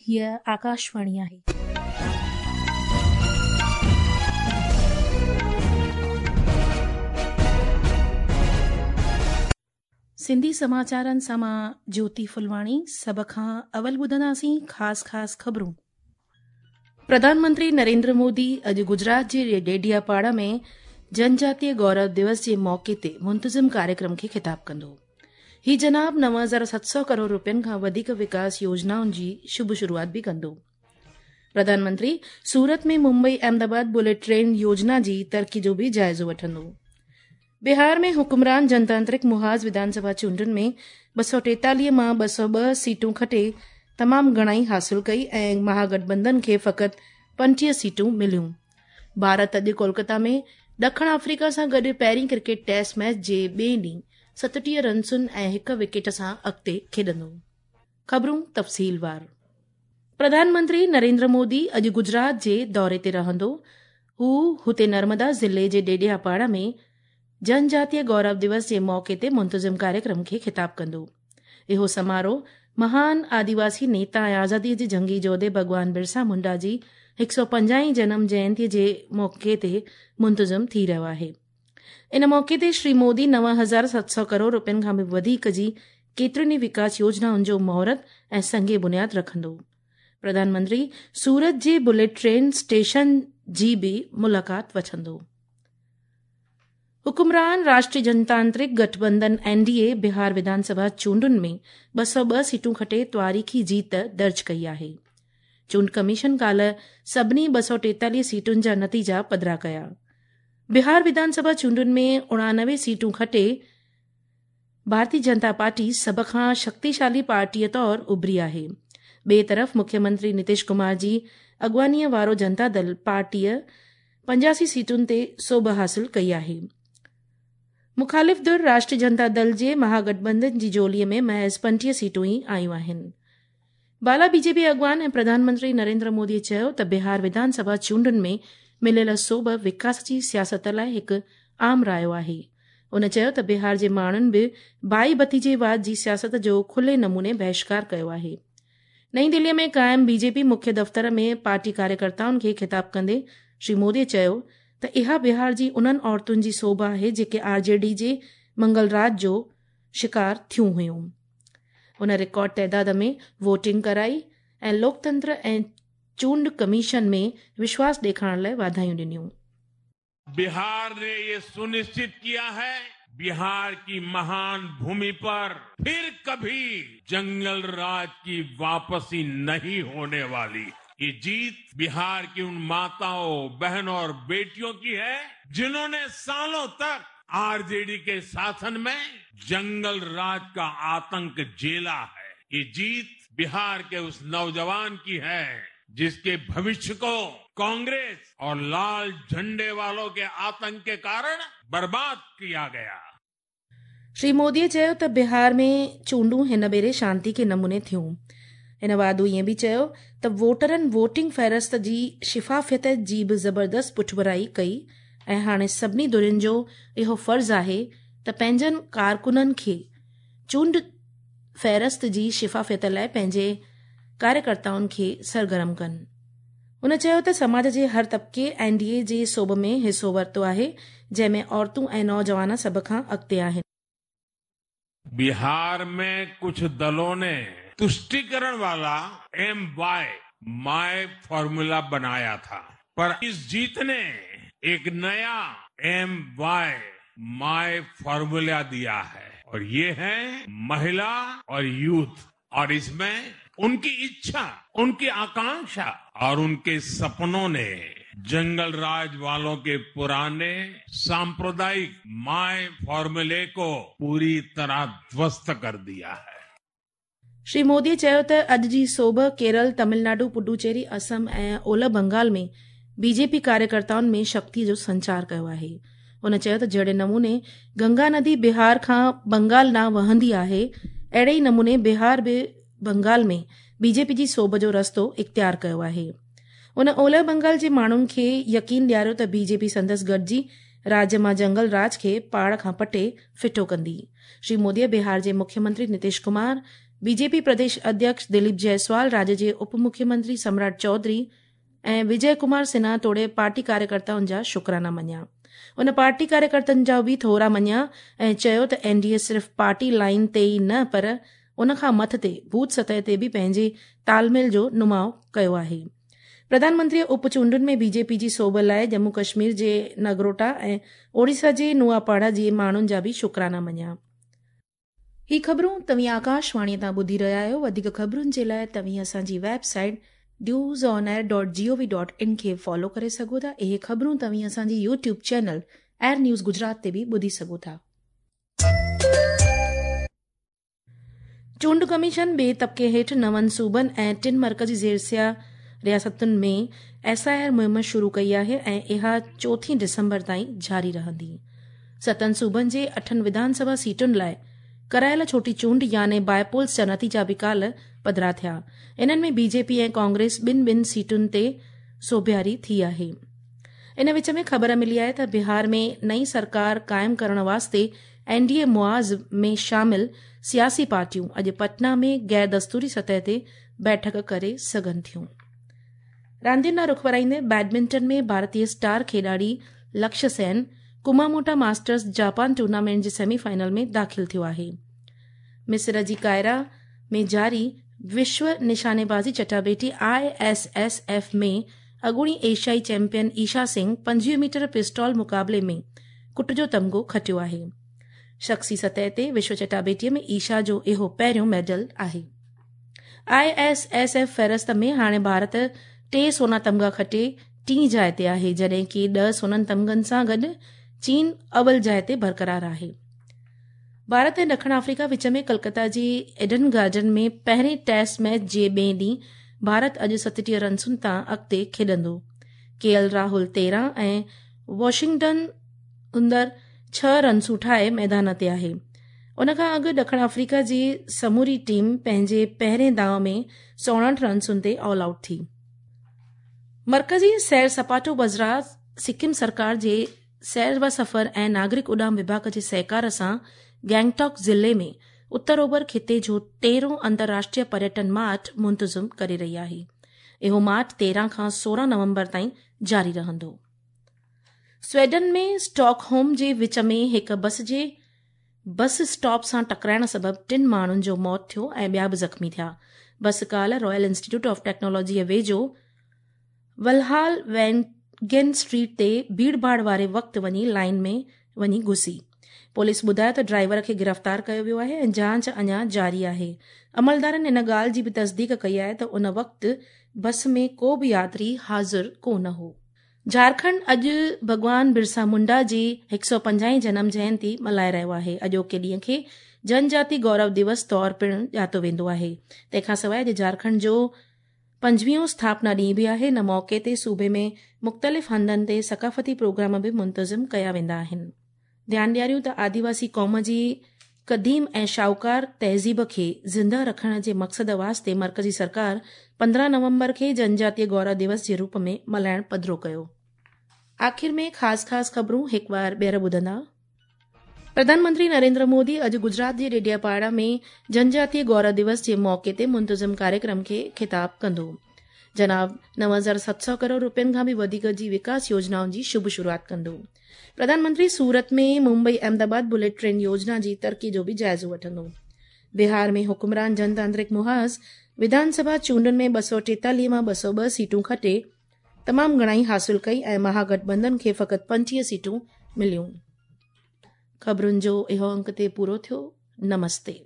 هيء آڪاشواڻي آهي. سنڌي سماچارن سان مان جيوتي ڦلواڻي سڀ کان اول ٻڌنداسين خاص خاص خبرون. پرڌان منتري نريندر مودي اڄ گجرات جي ڊيڊياپاڙا ۾ جنجاتيه گورو دوس جي موقعي تي منتظم ڪاريڪرم کي خطاب ڪندو. هي جناب 9700 ڪروڙ روپين کان وڌيڪ وڪاس يوجنائن جي شڀ شروعات به ڪندو. پرڌان منتري سورت ۾ ممبئي احمدآباد بليٽ ٽرين يوجنا جي ترقي جو به جائزو وٺندو. بهار ۾ حڪمران جنتانترڪ محاذ وڌان سڀا چونڊن ۾ 243 مان 202 سيٽون کٽي تمام گهڻائي حاصل ڪئي ۽ مهاگٺبنڌن کي فقط 25 سيٽون مليون. ڀارت اڄ ڪولڪتا ۾ ڏکڻ آفريڪا سان گڏ پهرين ڪرڪيٽ ٽيسٽ ميچ جي ٻئي ڏينهن 37 رنسن ۽ هڪ وڪيٽ سان اڳتي کيڏندو. خبرون تفصيلوار. پرڌان منتري نريندر مودي اڄ گجرات جي دوري تي رهندو. هو هتي نرمدا ضلعي جي ڊيڊياپاڙا ۾ جنجاتيه گورو دوس جي موقعي تي منتظم ڪاريڪرم کي خطاب ڪندو. اهو سماروهه مهان آديواسي نيتا ۽ آزادي جي جنگي جوڌي ڀڳوان برسا منڊا جي 150 هين جنم جينتي جي موقعي تي منتظم ٿي رهيو آهي. ان موقعي تي شري مودي 9700 ڪروڙ روپين کان به وڌيڪ جي ڪيترين ئي وڪاس يوجنائن جو مهورت ۽ سنگ بنياد رکندو. پرڌان منتري سورت جي بليٽ ٽرين اسٽيشن جي به ملاقات وٺندو. حڪمران راشٽريه جنتانترڪ گٺبنڌن اين ڊي اي بهار وڌان سڀا چونڊن ۾ 202 سيٽون کٽي تواريخي جيت درج ڪئي آهي. چونڊ ڪميشن ڪالهه سڀني 243 سيٽن جا نتيجا پڌرا ڪيا. بهار وڌان سڀا چونڊن ۾ 89 سيٽون کٽي ڀارتي جنتا پارٽي سڀ کان شڪتيشالي پارٽيء طور اڀري آهي. ٻئي طرف مکيه منتري نتيش ڪمار جي اڳواڻيء وارو جنتا دل پارٽيء 85 سيٽن تي سوڀ حاصل ڪئي آهي. مخالف ڌر راشٽريه جنتا دل جي مهاگٺبنڌن جي جهوليء ۾ محض 25 سيٽون ئي آيون آهن. بالا بي جي پي اڳواڻ ۽ پرڌان منتري نريندر مودي چيو ته بهار وڌان سڀا چونڊن ۾ مليل سوڀ وڪاس جي سياست لاء هڪ عام رايو آهي. هن چيو ته بهار جي ماڻهن به ڀائي ڀتيجيواد جي سياست جو کلي نموني بهشڪار ڪيو آهي. نئين دهلي ۾ قائم بي جي پي مکيه دفتر ۾ پارٽي ڪاريڪرتائن کي خطاب ڪندي شري مودي چيو ته اها بهار جي انهن عورتن جي سوڀ آهي جيڪي آر جي ڊي جي منگل راڄ جو شڪار ٿيون هيون. هن رڪارڊ تعداد ۾ ووٽنگ ڪرائي ۽ لوڪتنتر ۽ چونڊ ڪميشن ۾ وشواس ڏيکارڻ لاء واڌايون ڏنيون. بهار ني يي سنشچت ڪيا هي بهار ڪي مهان ڀومي پر ڦر ڪڀي جنگل راج ڪي واپسي نهين هوني والي. يي جيت بهار ڪي ان ماتائون، بهنون اور بيٽيون ڪي هي جنهون ني سالون تڪ آر جي ڊي ڪي شاسن ۾ جنگل راج ڪا آتنڪ جهيلا هي. يي جيت بهار ڪي اس نوجوان ڪي هي جس ڪي ڀوشيه ڪو ڪانگريس اور لال جهنڊي والون ڪي آتنڪ ڪي ڪارڻ برباد ڪيا گيا. شري مودي چيو ته بهار ۾ چونڊون هن ڀيري شانتيڪي نموني ٿيون. هن واڌو ائين به چيو ته ووٽرن ووٽنگ فهرست جي شفافيت جي به زبردست پٺڀرائي ڪئي ۽ هاڻي سڀني ڌرين جو اهو فرض آهي ته پنهنجن ڪارڪنن کي چونڊ فهرست جي شفافيت لاء پنهنجي ڪاريڪرتائن کي سرگرم ڪن. هن چيو ته سماج جي هر طبقي اين ڊي اي جي سوڀ ۾ حصو ورتو آهي، جنهن ۾ عورتون ۽ نوجوان سڀ کان اڳتي آهن. بهار ۾ ڪجهه دلون ني تشٽيڪرڻ والا ايم وائي مائي فارمولا بنايا ٿا پر اس جيت ني ايڪ نيا ايم وائي مائي فارمولا ديا هي اور يي هي مهلا اور يوٿ اور اس مين انڪي اڇا، انڪي آڪانڪشا اور انڪي سپنون ني جنگل راج والون ڪي پراني سامپردائڪ مائي فارمولي ڪو پوري طرح ڌوست ڪر ديا هي. شري مودي چيو ته اڄ جي سوڀ ڪيرل، تمل ناڊو، پڊوچيري، اسم ۽ اولهه بنگال ۾ بي جي پي ڪاريڪرتائن ۾ شڪتي جو سنچار ڪيو آهي. هن چيو ته جهڙي نموني گنگا ندي بهار کان بنگال ڏانهن وهندي آهي، اهڙي ئي نموني بهار به بنگال ۾ بي جي پي جي سوڀ جو رستو اختيار ڪيو آهي. هن اولهه بنگال جي ماڻهن کي يقين ڏياريو ته بي جي پي سندس گڏجي راڄ مان جنگل راڄ کي پاڙ کان پٽي ڦٽو ڪندي. شري مودي بهار جي مکيه منتري نتيش ڪمار، بي جي پي پرديش اڌيڪش دليپ جئسوال، راڄ جي اپ مکيه منتري سمراٽ چوڌري ۽ وجي ڪمار سنها توڙي پارٽي ڪاريڪرتائن جا شڪرانا مڃيا. هن پارٽي ڪاريڪرتن جا به ٿورا مڃيا ۽ چيو ته اين ڊي اي صرف پارٽي لائين تي ئي نه پر ان کان مٿتي بوٿ سطح تي به پنهنجي تال ميل جو نماء ڪيو آهي. پرڌان منتريء اپ چونڊن ۾ بي جي پي جي سوڀ لاء ڄمون ڪشمير جي نگروٽا ۽ اوڙيسا جي نوآپاڙا جي ماڻهن جا به شڪرانا مڃيا. هي خبرون توهين آڪاشواڻي تان ٻڌي رهيا آهيو. وڌيڪ خبرن جي لاء توهين اسان جي website news on air dot G O V dot in کي فالو ڪري سگهو ٿا. اهي خبرون توهين اسان جي YouTube channel air news Gujarat تي به ٻڌي سگهو ٿا. چونڊ ڪميشن ٻئي طبقي هيٺ نون صوبن ۽ ٽن مرڪزي زيرسيا رياستن ۾ ايس I R مهم شروع ڪئي آهي ۽ اها چوٿين ڊسمبر تائين جاري رهندي. ستن صوبن جي اٺن وڌان سڀا سيٽن لاء ڪرايل ڇوٽي چونڊ يعني باء پولز جا نتيجا به ڪالهه پڌرا ٿيا. انهن ۾ بي جي پي ۽ ڪانگريس ٻن ٻن سيٽن تي سوڀياري ٿي آهي. ان وچ ۾ خبر ملي آهي ته بهار ۾ نئين سرڪار قائم ڪرڻ واسطي اين ڊي اي معاذ ۾ شامل سياسي پارٽيون اڄ پٽنا ۾ غير دستوري سطح تي بيٺڪ ڪري سگهن ٿيون. راندين ڏانهن رخ ورائيندي بيڊمنٽن ۾ ڀارتي اسٽار کيڏاڙي Lakshya Sen Kumamoto masters Japan tournament جي سيمي فائنل ۾ داخل ٿيو آهي. مصر جي قاهره ۾ جاري وشو نشاني بازي چٽاڀيٽي I S S F ۾ اڳوڻي ايشيائي چيمپيئن ايشا سنگهه 25 ميٽر پسٽول مقابلي ۾ ڪٽ جو تمغو کٽيو آهي. شخصي سطح تي وشو چٽاڀيٽي ۾ ايشا جو اهو پهريون ميڊل آهي. I S S F فهرست ۾ هاڻي ڀارت ٽي سونا تمغا کٽي ٽين جاء تي آهي، جڏهن ڪي 10 سونن تمغن سان گڏ چين اول جاء تي برقرار آهي. ڀارت ۽ ڏکڻ آفريڪا وچ ۾ ڪلڪتا جي ايڊن گارڊن ۾ پهرين ٽيسٽ ميچ جي ٻئي ڏينهن ڀارت اڄ 37 رنسن تان اڳتي کيڏندو. ڪي ايل راهول 13 ۽ واشنگٽن سندر 6 رنسون ٺاهي ميدان تي آهي. ان کان اڳ ڏکڻ آفريڪا جي سموري ٽيم پنهنجي پهرين داء ۾ 159 رنسن تي آل آئوٽ ٿي. مرڪزي سير سپاٽو وزارت سڪم سرڪار جي سير و سفر ۽ ناگرڪ اڏام وڀاڳ جي سهڪار سان گينگٽاڪ ضلعي ۾ اتر اوڀر خطي جو تيرهون انترراشٽريه پريٽن مارٽ منتظم ڪري رهي آهي. اهو مارٽ 13 کان 16 نومبر تائين جاري رهندو. سويڊن ۾ اسٽاڪ هوم جي وچ ۾ هڪ بس جي بس اسٽاپ سان ٽڪرائڻ سبب ٽن ماڻهن جو موت ٿيو ۽ ٻيا به زخمي ٿيا. بس ڪالهه رائل انسٽيٽيوٽ آف ٽيڪنالاجي ويجهو ولهال وينگين اسٽريٽ تي ڀيڙ ڀاڙ واري وقت وڃي لائين ۾ وڃي گهسي. پوليس ٻڌايو ته ڊرائيور کي گرفتار ڪيو ويو آهي ۽ جاچ اڃا جاري آهي. عملدارن ان ڳالهه جي به تصديق ڪئي آهي ته ان وقت بس ۾ ڪو به ياتري حاضر ڪونه هو. جهارکنڊ اڄ ڀڳوان برسا منڊا جي 150 هين جنم جينتي ملهائي رهيو آهي. اڄوڪي ڏينهن کي جنجاتي گورو دوس طور پڻ ڄاتو ويندو آهي. تنهن کان سواء اڄ جهارکنڊ جو پنجويهون اسٿاپنا ڏينهن به آهي. ان موقعي تي صوبي ۾ مختلف هنڌن تي ثقافتي پروگرام به منتظم ڪيا ويندا آهن. ڌيان ڏياريون ته آديواسي قوم جي قديم ۽ شاهوڪار تهذيب کي زندهه رکڻ جي مقصد واسطي مرڪزي سرڪار 15 نومبر کي جنجاتيه گورو دوس جي روپ ۾ ملهائڻ پڌرو ڪيو. آخر ۾ خاص خاص خبرون هڪ وار ٻيهر ٻڌندا. پرڌان منتري نريندر مودي اڄ گجرات جي ڊيڊياپاڙا ۾ جنجاتيه گورو دوس جي موقعي تي منتظم ڪاريڪرم کي خطاب ڪندو. جناب 9700 ڪروڙ روپين کان به وڌيڪ جي وڪاس يوجنائن جي شڀ شروعات ڪندو. پرڌان منتري سورت ۾ ممبئي احمد آباد بليٽ ٽرين يوجنا جي ترقي جو به جائزو وٺندو. بهار ۾ حڪمران جنتانترڪ محاذ وڌان سڀا چونڊن ۾ 243 مان 202 سيٽون کٽي تمام گهڻائي حاصل ڪئي ۽ مهاگٺبنڌن کي فقط 25 سيٽون مليون. خبرن جو اهو انڪ تي پورو ٿيو. نمستي.